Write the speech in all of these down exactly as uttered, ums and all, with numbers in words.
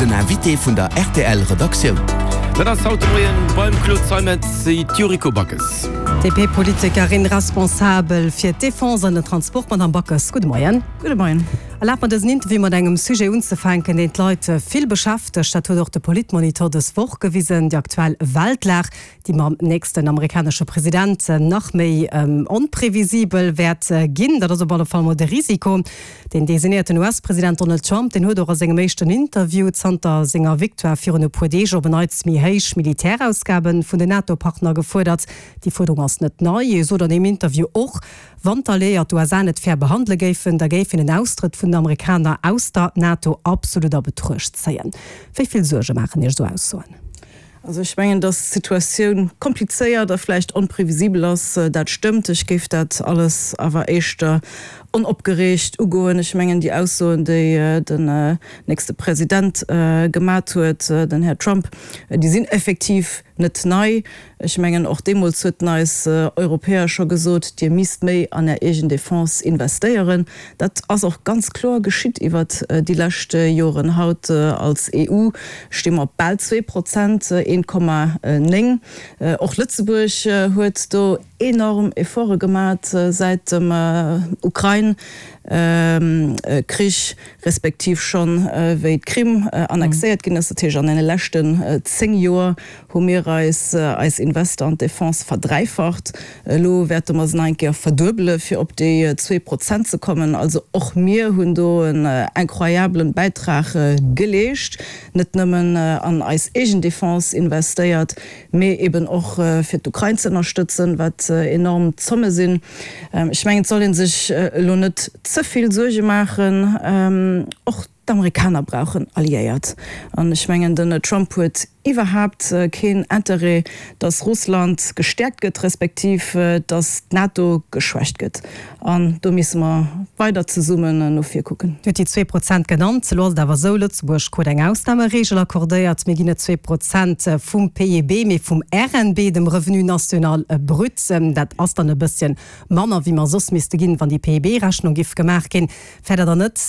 Den Invité vun der R T L Redaktioun. Dat ass haut de Moien beim Claude Zeimetz d'Yuriko Backes. D P-Politikerin responsabel fir d'Defense an den Transport, Madame Backes, gudde Moien. Gudde Moien. Erlaabt mer dësen Interview mat engem Sujet unzefänken, deen d'Leit vill beschäftegt. Dat huet och de Politmonitor dës Woch gewisen, déi aktuell Weltlag, déi mam nächsten amerikanesche President nach méi ähm, onprevisibel wäert ginn. Dat ass op alle Fall mol de Risiko. Den designéierten U S-President Donald Trump, den huet och a sengem éischten Interview zanter senger Victoire virun e puer Deeg op en Neits méi héich Militärausgaben vun den NATO-Partner gefuerdert. Déi Fuerderung ass net nei. Hie sot an deem Interview och, wann d'Alliéiert d'U S A net fair behandele géifen, da géif hien en Austrëtt vun den Amerikaner aus der NATO absolut a Betruecht zéien. Wéi vill Suerge maachen Iech esou Aussoen? Also ech mengen, dass d'Situatioun komplizéiert a vläicht onprevisibel ass, dat stëmmt. Ech géif dat alles awer éischter onopgereegt ugoen. Ech mengen, déi Aussoen, déi den nächste President gemat huet, den Här Trump, déi sinn effektiv net nei. Ech mengen, och deemools huet en eis Europäer scho gesot, Dir misst méi an är eegen Defense investéieren. Dat ass och ganz kloer geschitt iwwert déi lescht Joren. Haut als E U sti mer op bal zwee Prozent, een Komma néng. Och Lëtzebuerg huet do enorm Efforte gemat säit dem Ukrain Krich, respektiv schonn wéi d'Krim annexéiert ginn ass. Dat heescht, an deene leschten zéng Joer hu mir eis eis Invester an d'Defense verdräifacht. Elo wäerte mer se nach eng Kéier verduebele fir op déi zwee Prozent ze kommen. Also och mir hunn do en incroyablen Bäitrag geleescht, net nëmmen an eis eegen Defense investéiert, mee eben och fir d'Ukrain ze ënnerstëtzen, wat enorm Zomme sinn. Ech mengen, et soll ee sech elo net ze vill Suerge maachen. Och d'Amerikaner brauchen Alliéiert. An ech mengen, den Trump huet iwwerhaapt keen Interêt, datt Russland gestäerkt gëtt, respektiv datt d'NATO geschwächt gëtt. An do misse mer weider zesummen no vir kucken. Dir hutt déi zwee Prozent genannt. Elo ass et awer esou, Lëtzebuerg krut eng Ausnamereegel accordéiert. Mir ginn net zwee Prozent vum P I B, mee vum R N B, dem Revenu national brut. Dat ass dann e bësschen manner, wéi mer soss misste ginn, wann déi P I B-Rechnung giff gemaach ginn. Fäert Der dann net,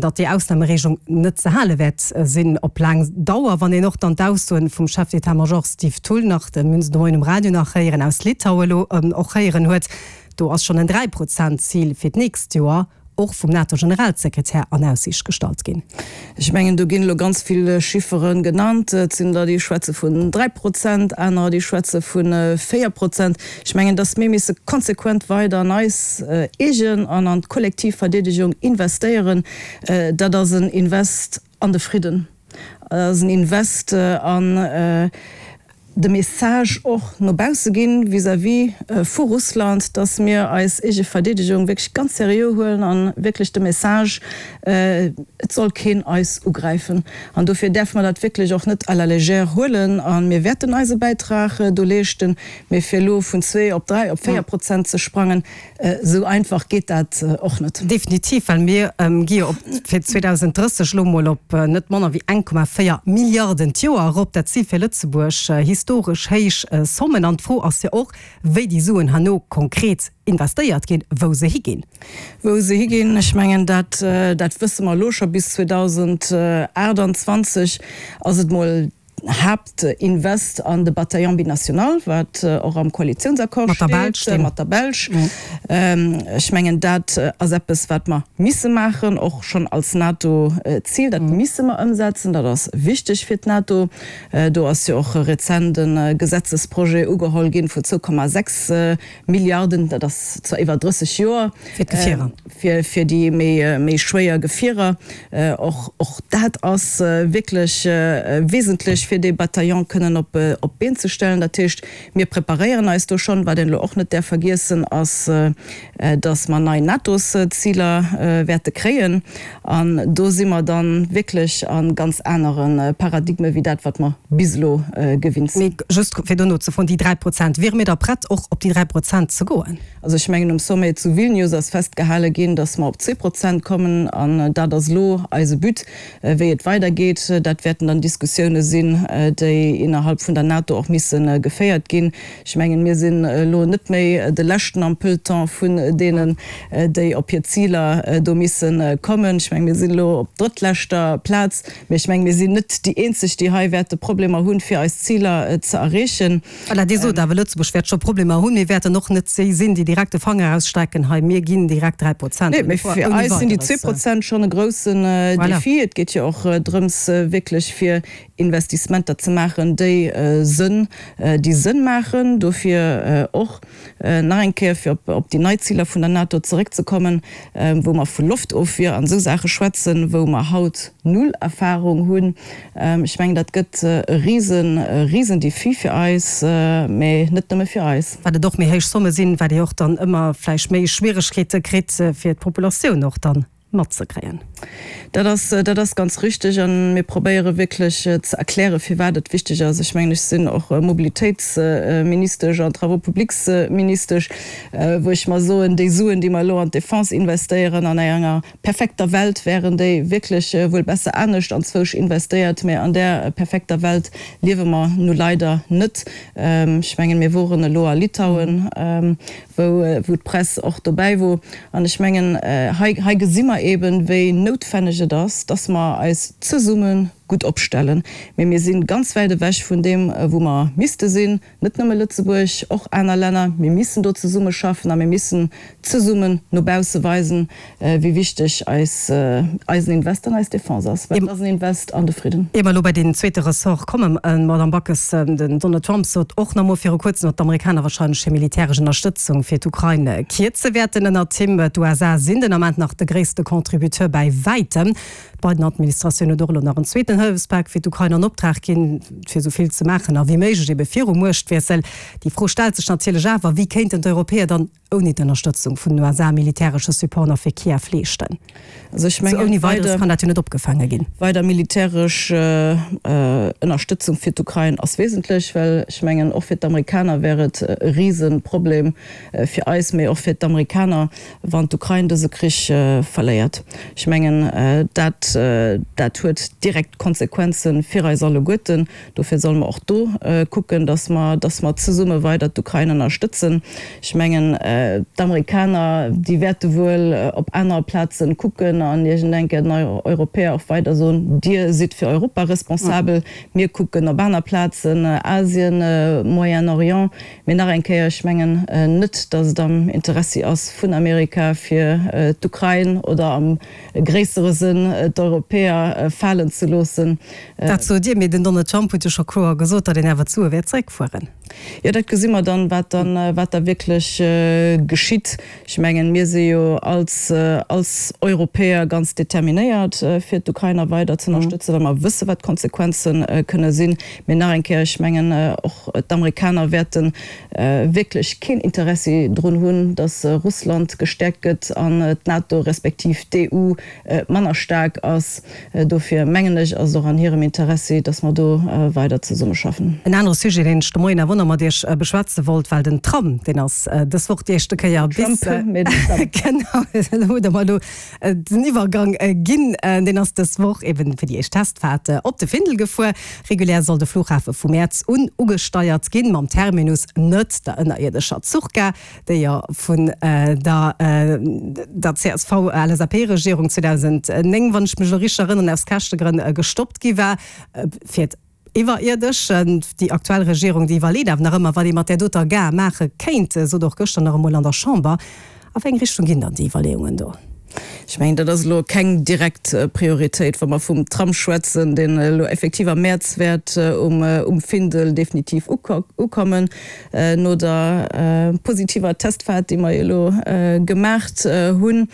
datt déi Ausnamereegelung net ze hale wäert sinn op laang Dauer, wann een och dann d'Aussoen vum Chef d'état-major Steve Thull nach, de mir hunn se de Moien um Radio nach héieren, aus Litaue elo och héieren huet, do ass schonn en Dräi-Prozent-Zil fir d'nächst Joer och vum NATO-Generalsekretär an Aussiicht gestallt ginn? Ech mengen, do ginn elo ganz vill Chiffere genannt. Et sinn der, déi schwätze vun dräi Prozent, anerer, déi schwätze vu véier Prozent. Ech mengen, datt mir misse konsequent weider an eis eegen an an d'kollektiv Verdeedegung investéieren. Dat ass en Invest an de Fridden, dat ass en Invest an de Message och no bausse ginn vis-à-vis vu Russland, datt mir eis eege Verdeedegung wierklech ganz seriö huelen a wierklech de Message, et soll keen eis ugräifen. An dofir däerfe mer dat wierklech och net à la légère huelen a mir wäerten eise Bäitrag do leeschten. Mee fir elo vun zwee op dräi, op véier Prozent ze sprangen, esou einfach geet dat och net. Definitiv, well mir gi jo op fir zweedausenddrësseg elo mol op net manner wéi eng Komma véier Milliarden d'Joer erop. Dat si fir Lëtzebuerg historesch héich Sommen. An d'Fro ass jo och, wéi déi Suen herno konkret investéiert ginn, wou se higinn. Wou se higinn, ech mengen, dat dat wësse mer elo scho. Bis zweedausendaachtanzwanzeg ass et mol Haaptinvest an de Bataillon binational, wat och am Koalitiounsaccord steet, mat der Belsch. Ech mengen, dat ass eppes, wat mer misse maachen, och schonn als NATO-Zil. Dat misse mer ëmsetzen, dat ass wichteg fir d'NATO. Do ass jo och rezent e Gesetzesprojet ugeholl ginn vu zwou Komma sechs Milliarden, dat ass zwar iwwer drësseg Joer, Fir d'Gefierer. fir, fir déi méi, méi schwéier Gefierer. Och, och dat ass wierklech wesentlech, fir dee Bataillon kënnen op, op d'Been ze stellen. Dat heescht, mir preparéieren eis do schonn. Wat een elo och net däerf vergiessen, ass, dass mer nei NATO-Ziler wäerte kréien. An do si mer dann wierklech a ganz anere Paradigme wéi dat, wat mer bis elo gewinnt sinn. Mee just fir do nozefroen, déi dräi Prozent, wiere mir da prett, och op déi dräi Prozent ze goen? Also ech mengen, um Sommet zu Vilnius ass festgehale ginn, dass mer op zwee Prozent kommen. An dat ass elo eise But. Wéi et weidergeet, dat wäerten dann Diskussioune sinn sinn, déi innerhalb vun der NATO och misse geféiert ginn. Ech mengen, mir sinn elo net méi de Leschten am Peloton vun deenen, déi op hir Ziler do misse kommen. Ech mengen, mir sinn elo op drëttleschter Plaz, mee ech mengen, mir sinn net déi eenzeg, déi hei wäerte Problemer hunn, fir eis Ziler ze erreechen. Voilà, Dir sot awer, Lëtzebuerg wäert scho Problemer hunn. Mir wäerten och net déi sinn, déi direkt de Fanger ausstrecken, hei, mir ginn direkt dräi Prozent. Nee, mee fir eis sinn déi zwee Prozent schonn e groussen Defi. Et geet jo och drëms, wierklech fir Investissementer ze maachen, déi Sënn, déi Sënn maachen. Dofir och nach eng Kéier, fir op déi nei Ziler vun der NATO zeréckzekommen, wou mer vu Loftofwier an esou Saache schwätzen, wou mer haut null Erfahrung hunn. Ech mengen, dat gëtt e risen, e risen Defi fir eis, mä net nëmme fir eis. Wat et och méi héich Somme sinn, wat ee och dann ëmmer vläicht méi Schwieregkeete kritt, fir d'Populatioun och dann matzekréien. Dat ass, dat ass ganz richtig. A mir probéiere wierklech ze erklären, firwat et wichteg ass. Ech mengen, ech sinn och Mobilitéitsministesch an Travaux publics-Ministesch, wou ech mer soen, déi Suen, déi mer elo an d'Defense investéieren, an enger perfekter Welt wären déi wierklech wuel besser anescht anzwousch investéiert, mä an där perfekter Welt liewe mer nu leider net. Ech mengen, mir woren elo a Litauen, wou wou d'Press och dobäi wor. An ech mengen, hei hei gesi mer eben, wéi noutwenneg et ass, dass mer eis zesumme gutt opstellen. Mee mir si ganz wäit ewech vun deem, wou mer misste sinn, net nëmme Lëtzebuerg, och aner Länner. Mir missen do zesummeschaffen a mir missen zesummen no bausse weisen, wéi wichteg eis eisen Invest an eis Defense ass, well et ass en Invest an de Fridden. Ier mer elo bei deen zweete Ressort kommen, Madamm Backes, den Donald Trump sot och nach emol viru Kuerzem, datt d'Amerikaner wahrscheinlech hir militäresch Ënnerstëtzung fir d'Ukrain kierze wäerten ënnert him. D'USA sinn den Ament nach de gréisste Contributeur bäi wäitem. D'Biden-Administratioun huet och elo nach en zweeten Hëllefspak fir d'Ukrain an Optrag ginn, fir esou vill ze maachen a wéi méiglech ebe virum Muechtwiessel. Déi Fro stellt sech natierlech awer, Wéi kéinten d'Europäer dann ouni d'Ënnerstëtzung vun den USA militäresche Support nach fir Kiew leeschten? Also ech Sou mengen, ouni Weideres weider kann dat jo net opgefaange ginn. weider militäresch Ënnerstëtzung fir d'Ukrain ass wesentlech, well ech mengen, och fir d'Amerikaner wär et e Riseproblem, fir eis, mee och fir d'Amerikaner, wann d'Ukrain dëse Krich verléiert. Ech mengen, dat dat huet direkt Konsequenze fir eis alleguerten. Dofir solle mer och do kucken, dass mer, dass mer zesumme weider d'Ukrain ënnerstëtzen. Ech mengen, d'Amerikaner, déi wäerte wuel op aner Plaze kucken an iergendeng Kéier den Europäer och weider soen, Dir sidd fir Europa responsabel, mir kucken op aner Plazen, Asien, Moyen-Orient. Mee nach eng Kéier, ech mengen net, dass et am Interessi ass vun Amerika, fir d'Ukrain oder am gréissere Sënn d'Europäer falen ze loossen. Dat sot Dir, mee den Donald Trump huet jo scho kloer gesot, datt een awer d'Sue wäert zeréckfueren. Jo, dat gesi mer dann, wat dann, wat da wierklech geschitt. Ech mengen, mir si jo als, als Europäer ganz determinéiert, fir d'Ukrainer weider ze ënnerstëtzen, well mer wësse wat d'Konsequenze kënne sinn. Mee nach eng Kéier, ech mengen, och d'Amerikaner wäerte wierklech keen Interessi drun hunn, datt Russland gestäerkt gëtt an d'NATO respektiv d'EU manner staark ass. Dofir mengen ech, ass et och an hirem Interessi, datt mer do weider zesummeschaffen. En anere Sujet, deen ech de Moien awer och nach mat Iech beschwätze wollt, well den Tram, deen ass dës Woch déi éischte Kéier bis, genau, elo hutt Der mer elo den Iwwergang ginn, deen ass dës Woch eben fir déi éischt Testfaart op de Findel gefuer. Regulär soll de Flughafe vu Mäerz un ugesteiert ginn, mam Terminus net der ënnerierdescher Zuchgare, déi jo vun der der CSV-LSAP-Regierung zweedausendnéng, wann ech mech elo richteg erënneren, aus Käschtegrënn gestoppt gi war. Fir iwwerierdesch. Déi aktuell Regierung, déi iwwerleet awer nach ëmmer, wat ee mat där doter Gare maache kéint, sot och gëschter nach emol an der Chamber. A wéi eng Richtung ginn dann déi Iwwerleeungen do? Ech mengen, dat ass elo keng direkt Prioritéit, wa mer vum Tram schwätzen, deen elo effektiv am Mäerz wäert um Findel definitiv ukommen, no der positiver Testfaart, déi mer elo gemaacht hunn,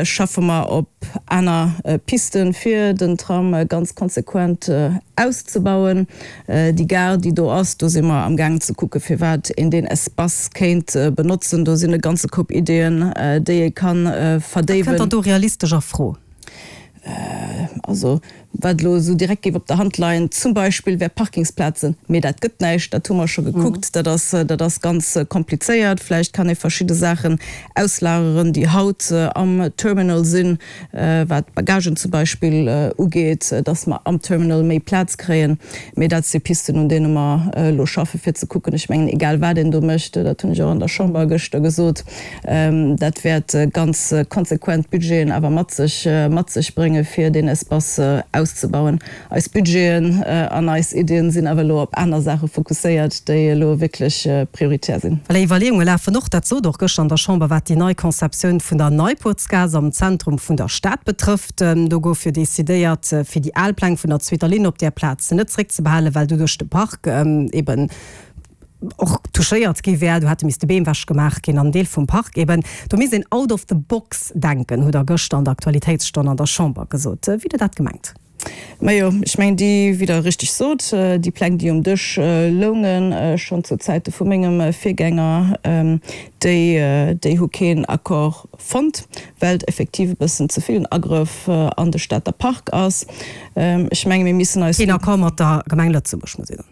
schaffe mer op aner Pisten, fir den Tram ganz konsequent auszebauen. Déi Gare, déi do ass, do si mer amgaangen ze kucken, firwat een deen Espace kéint benotzen. Do sinn e ganze Koup Ideeën, déi ee ka verdéiwen. Wat kënnt dann do realistesch a Fro? Also, Wat elo esou direkt géif op der Hand leien zum Beispill, wär Parkingsplazen. Mee dat gëtt näischt, dat hu mer scho gekuckt, dat ass, dat ass ganz komplizéiert. Vläicht kann ee verschidde Saachen auslageren, déi haut am Terminal sinn, wat d'Bagagen zum Beispill ugeet, dass mer am Terminal méi Plaz kréien. Mee dat si Pisten, un deene mer elo schaffen, fir ze kucken. Ech mengen, egal wat een do mécht, dat hunn ech och an der Chamber gëschter gesot, dat wäert ganz konsequent Budgeten awer mat sech, mat sech bréngen, fir deen Espace auszebauen. Eis Budgeten an eis Iddien sinn awer elo op aner Saache fokusséiert, déi elo wierklech prioritär sinn. Well Iwwerleeunge lafen och, dat sot och gëschter an der Chamber, wat déi nei Conceptioun vun der Neipuertsgaass am Zentrum vun der Stad betrëfft. Do gouf jo decidéiert, fir déi al Pläng vun der zweeter Linn op där Plaz net zréckzebehalen, well doduerch de Park eben och touchéiert gi wär, do hätte misste Beem ewech gemaach ginn an Deel vum Park eben. Do misst een out of the box denken, hutt Der gëschter an der Aktualitéitsstonn an der Chamber gesot. Wéi hutt Der dat gemengt? Majo, ech mengen, déi, wéi Der richteg sot, déi Pläng, déi um Dësch loungen, schonn zu Zäite vu mengem Virgänger, déi, déi hu keen Accord fonnt, well et effektiv e bëssen ze vill en Agrëff an de Stater Park ass. Ech menge mir missen eis. Keen Accord mat der Gemeng Lëtzebuerg, muss ee soen.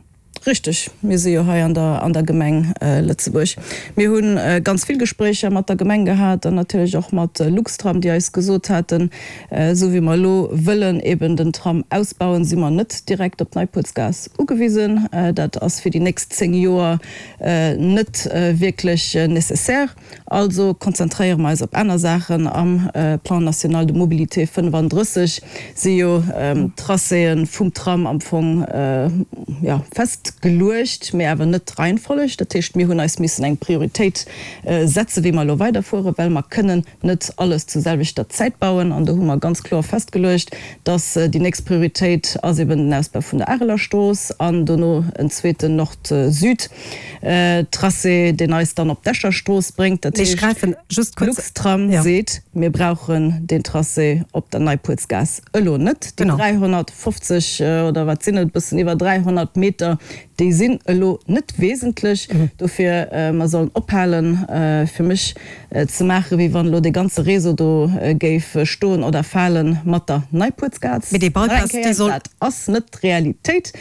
Richteg, mir si jo hei an der, an der Gemeng Lëtzebuerg. Mir hu ganz vill Gespréicher mat der Gemeng gehat an natierlech och mat Luxtram, déi eis gesot haten, esou wéi mer elo wëllen eben den Tram ausbauen, si mer net direkt op d'Neipuertsgaass ugewisen. Dat ass fir déi nächst zéng Joer net wierklech nécessaire. Also konzentréiere mer eis op aner Saachen. Am Plan national de mobilité fënnefandrësseg si jo d'Tracéë vum Tram am Fong, jo, festgeluecht, mee awer net d'Reihenfolleg. Dat heescht, mir hunn eis missen eng Prioritéit setzen, wéi mer elo weiderfueren, well mer kënnen net alles zur selwechter Zäit bauen. An do hu mer ganz kloer festgeluecht, dass déi nächst Prioritéit ass eben den Ausbau vun der Areler Strooss an dono en zweeten Nord-Süd. Tracé, deen eis dann op d'Escher Strooss bréngt. Dat heescht, Luxtram seet, mir brauchen deen Tracé op der Neipuertsgaass elo net. Déi dräihonnertfofzeg oder wat sinn et, e bëssen iwwer dräihonnert Meter, déi sinn elo net wesentlech. Dofir, mer sollen ophalen, fir mech ze maachen, wéi wann elo dee ganze Réseau do géif stoen oder fale mat der Neipuertsgaass. Nach eng Kéier, dat ass net d'Realitéit.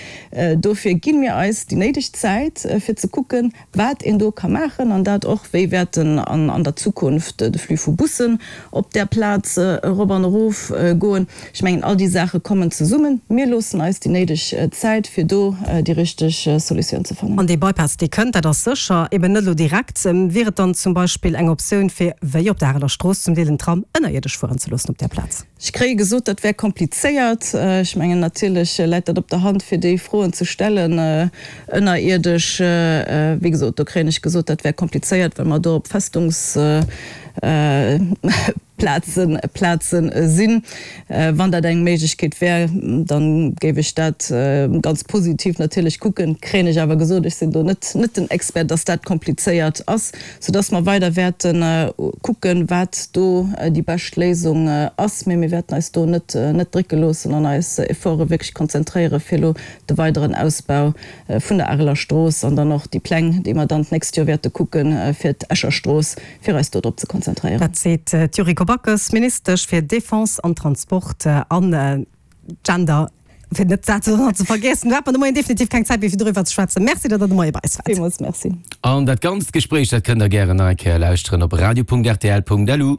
Dofir gi mir eis déi néideg Zäit, fir ze kucken, wat een do ka maachen, an dat och, wéi wäerten an der Zukunft de Flux vu Bussen op där Plaz erop an erof goen. Ech mengen, all déi Saache kommen zesummen. Mir loossen eis déi néideg Zäit, fir do déi richteg Solutioun ze fannen. An dee Bypass, dee kënnt, dat ass sécher, eben net elo direkt. Wier et dann zum Beispill eng Optioun, fir, wéi op der Areler Strooss zum Deel, den Tram ënnerierdesch fueren ze loossen op där Plaz? Ech kréie gesot, dat wär komplizéiert. Ech mengen, natierlech läit dat op der Hand, fir déi Froen ze stellen. Ënnerierdesch, wéi gesot, do kréien ech gesot, dat wär komplizéiert, well mer do op Festungsplazen Plazen sinn. Wann dat eng Méiglechkeet wär, da géif ech dat ganz positiv natierlech kucken. Kréien ech awer gesot, ech sinn do net net den Expert, dass dat komplizéiert ass, soudass mer weider wäerte kucken, wat do déi bescht Léisung ass. Mee mir wäerten eis do net net drécke loossen an eis Efforte wierklech konzentréiere fir elo de weideren Ausbau vun der Areler Strooss an dann och déi Pläng, déi mer dann d'nächst Joer wäerte kucke fir d'Escher Strooss, fir eis do drop ze konzentréieren. Dat seet d'Yuriko Backes, Ministesch fir Defense an Transport an Gender, fir net dat ze vergiessen. Do hat mer de Moien definitiv keng Zäit méi fir doriwwer ze schwätzen. Merci, datt Der de Moie bei eis waart. Villmools Merci. An dat ganzt Gespréich, dat kënnt Der gären nach eng Kéier lauschteren op radio punkt rtl punkt lu.